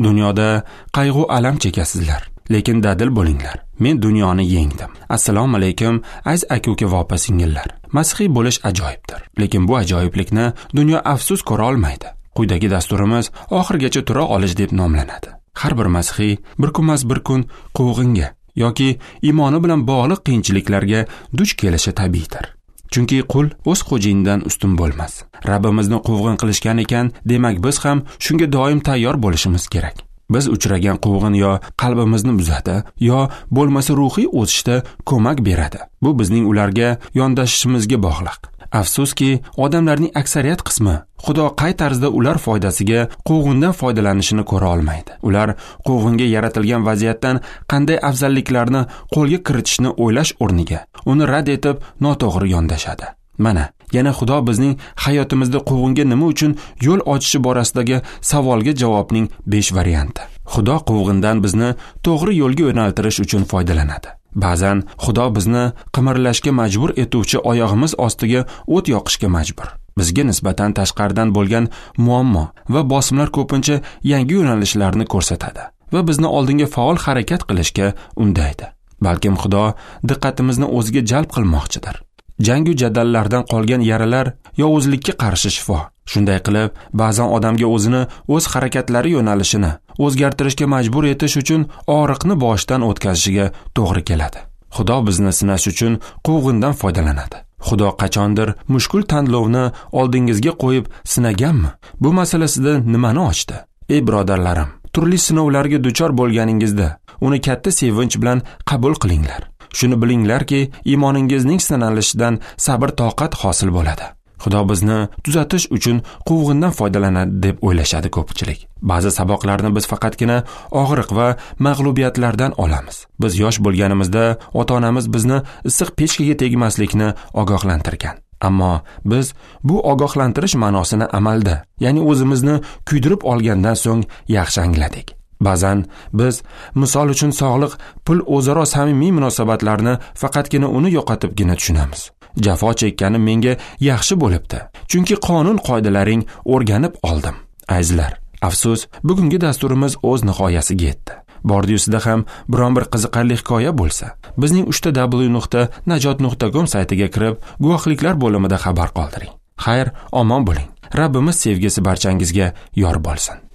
Dunyoda qayg'u alam chekasizlar, lekin dadil bo'linglar. Men dunyoni yengdim. Assalomu alaykum, aziz aka-uka va opa-singillar. Masihiy bo'lish ajoyibdir, lekin bu ajoyiblikni dunyo afsus ko'ra olmaydi. Quyidagi dasturimiz oxirigacha tura olish deb nomlanadi. Har bir masihiy bir kunmas bir kun quvg'inga yoki iymoni bilan bog'liq qiyinchiliklarga duch kelishi tabiiydir. Chunki qul o'z xo'jayinidan ustun bo'lmas. Rabbimizni quvg'in qilishgan ekan, demak biz ham shunga doim tayyor bo'lishimiz kerak. Biz uchragan quvg'in yo qalbimizni buzadi, yo bo'lmasa ruhiy o'sishda ko'mak beradi. Bu bizning ularga yondashishimizga bog'liq. Afsuski, odamlarning aksariyat qismi Xudo qay tarzda ular foydasiga quvg'indan foydalanishini ko'ra olmaydi. Ular quvg'inga yaratilgan vaziyatdan qanday afzalliklarni qo'lga kiritishni o'ylash o'rniga uni rad etib noto'g'ri yondashadi. Mana, yana Xudo bizning hayotimizda quvg'inga nima uchun yo'l ochishi borasidagi savolga javobning 5 varianti. Xudo quvg'indan bizni to'g'ri yo'lga yo'naltirish uchun foydalanadi. Ba'zan Xudo bizni qimirlashga majbur etuvchi oyog'imiz ostiga o't yoqishga majbur. Bizga nisbatan tashqaridan bo'lgan muammo va bosimlar ko'pincha yangi yo'nalishlarni ko'rsatadi va bizni oldinga faol harakat qilishga undaydi. Balkim Xudo diqqatimizni o'ziga jalb qilmoqchidir. Jangu jadallardan qolgan yaralar yovuzlikka qarshi shifo. Shunday qilib, ba'zan odamga o'zini o'z harakatlari yo'nalishini o'zgartirishga majbur etish uchun og'riqni boshdan o'tkazishiga to'g'ri keladi. Xudo bizni sinash uchun quvg'indan foydalanadi. Xudo qachondir mushkul tanlovni oldingizga qo'yib sinaganmi? Bu masalasida nimani ochdi? Ey birodarlarim, turli sinovlarga duchor bo'lganingizda uni katta sevinch bilan qabul qilinglar. Shuni bilinglarki, iymoningizning sinalishidan sabr toqat hosil bo'ladi. Xudo bizni tuzatish uchun quvg'indan foydalanadi deb o'ylashadi ko'pchilik. Ba'zi saboqlarni biz faqatgina og'riq va mag'lubiyatlardan olamiz. Biz yosh bo'lganimizda ota-onamiz bizni issiq pechkaga tegmaslikni ogohlantirgan. Ammo biz bu ogohlantirish ma'nosini amalda, ya'ni o'zimizni kuydirib olgandan so'ng yaxshi angladik. Ba'zan biz, misol uchun, sog'liq, pul o'zaro samimiy munosabatlarni faqatgina uni yo'qotibgina tushunamiz. Jafo chekkanim menga yaxshi bo'libdi, chunki qonun qoidalaring o'rganib oldim. Azizlar, afsus, bugungi dasturimiz o'z nihoyasiga yetdi. Bordi-yusida ham biron bir qiziqarli hikoya bo'lsa, bizning www.najot.com saytiga kirib, guvohliklar bo'limida xabar qoldiring. Xayr, omon bo'ling. Rabbimiz sevgisi barchangizga yor bo'lsin.